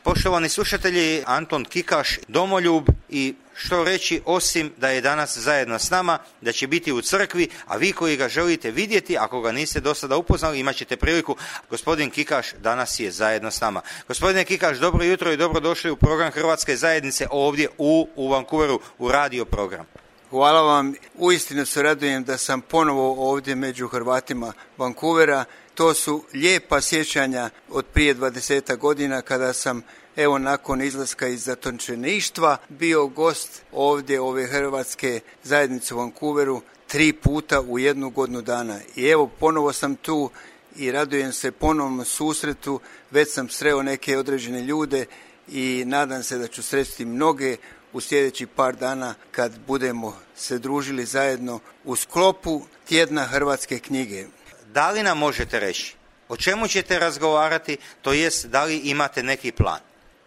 Poštovani slušatelji, Anton Kikaš, domoljub, i što reći osim da je danas zajedno s nama, da će biti u crkvi, a vi koji ga želite vidjeti, ako ga niste do sada upoznali, imat ćete priliku. Gospodin Kikaš danas je zajedno s nama. Gospodine Kikaš, dobro jutro i dobrodošli u program Hrvatske zajednice ovdje u Vancouveru, u radio program. Hvala vam, uistinu se radujem da sam ponovo ovdje među Hrvatima Vancouvera. To su lijepa sjećanja od prije 20 godina kada sam, evo, nakon izlaska iz zatočeništva bio gost ovdje ove Hrvatske zajednice u Vancouveru 3 puta u 1 godinu dana. I evo, ponovo sam tu i radujem se ponovnom susretu. Već sam sreo neke određene ljude i nadam se da ću sresti mnoge u sljedećih par dana kad budemo se družili zajedno u sklopu tjedna Hrvatske knjige. Da li nam možete reći o čemu ćete razgovarati, to jest da li imate neki plan?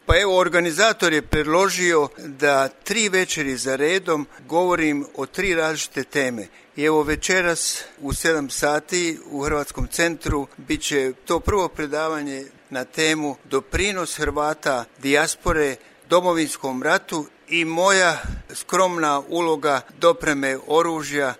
Pa evo, organizator je predložio da 3 večeri za redom govorim o 3 različite teme. I evo, večeras u 7 sati u Hrvatskom centru bit će to prvo predavanje na temu doprinos Hrvata dijaspore Domovinskom ratu i moja skromna uloga dopreme oružja.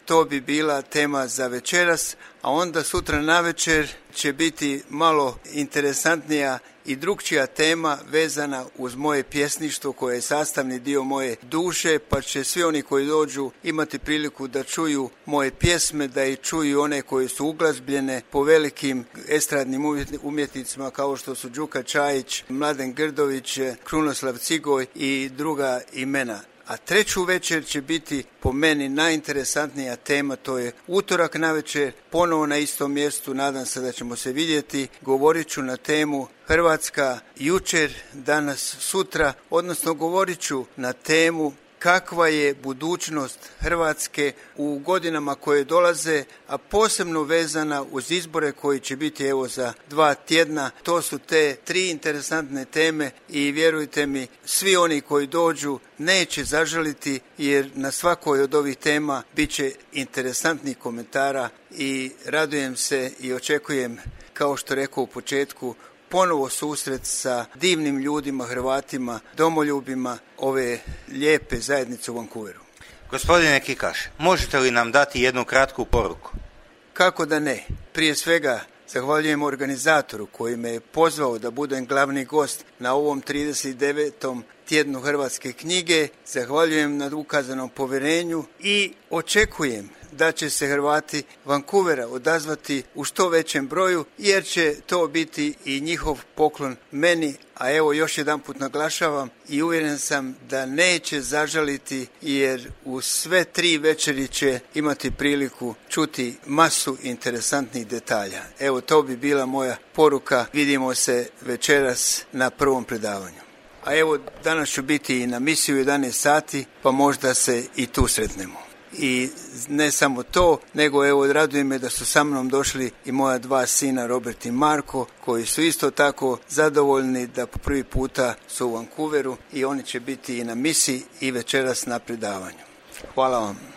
To bi bila tema za večeras, a onda sutra navečer će biti malo interesantnija i drukčija tema vezana uz moje pjesništvo koje je sastavni dio moje duše, pa će svi oni koji dođu imati priliku da čuju moje pjesme, da i čuju one koje su uglazbljene po velikim estradnim umjetnicima kao što su Đuka Čajić, Mladen Grdović, Krunoslav Cigoj i druga imena. A 3. večer će biti po meni najinteresantnija tema, to je utorak navečer, ponovo na istom mjestu, nadam se da ćemo se vidjeti. Govorit ću na temu Hrvatska jučer, danas, sutra, odnosno govorit ću na temu kakva je budućnost Hrvatske u godinama koje dolaze, a posebno vezana uz izbore koji će biti evo za 2 tjedna. To su te 3 interesantne teme i vjerujte mi, svi oni koji dođu neće zažaliti, jer na svakoj od ovih tema bit će interesantnih komentara i radujem se i očekujem, kao što rekao u početku, ponovo susret sa divnim ljudima, Hrvatima, domoljubima ove lijepe zajednice u Vancouveru. Gospodine Kikaš, možete li nam dati jednu kratku poruku? Kako da ne? Prije svega zahvaljujem organizatoru koji me je pozvao da budem glavni gost na ovom 39. tjednu Hrvatske knjige. Zahvaljujem na ukazanom povjerenju i očekujem da će se Hrvati Vancouvera odazvati u što većem broju, jer će to biti i njihov poklon meni. A evo, još jedanput naglašavam i uvjeren sam da neće zažaliti, jer u sve 3 večeri će imati priliku čuti masu interesantnih detalja. Evo, to bi bila moja poruka. Vidimo se večeras na prvom predavanju. A evo, danas ću biti i na misiji u 11 sati, pa možda se i tu sretnemo. I ne samo to, nego evo, raduje me da su sa mnom došli i moja 2 sina, Robert i Marko, koji su isto tako zadovoljni da po prvi puta su u Vancouveru i oni će biti i na misiji i večeras na predavanju. Hvala vam.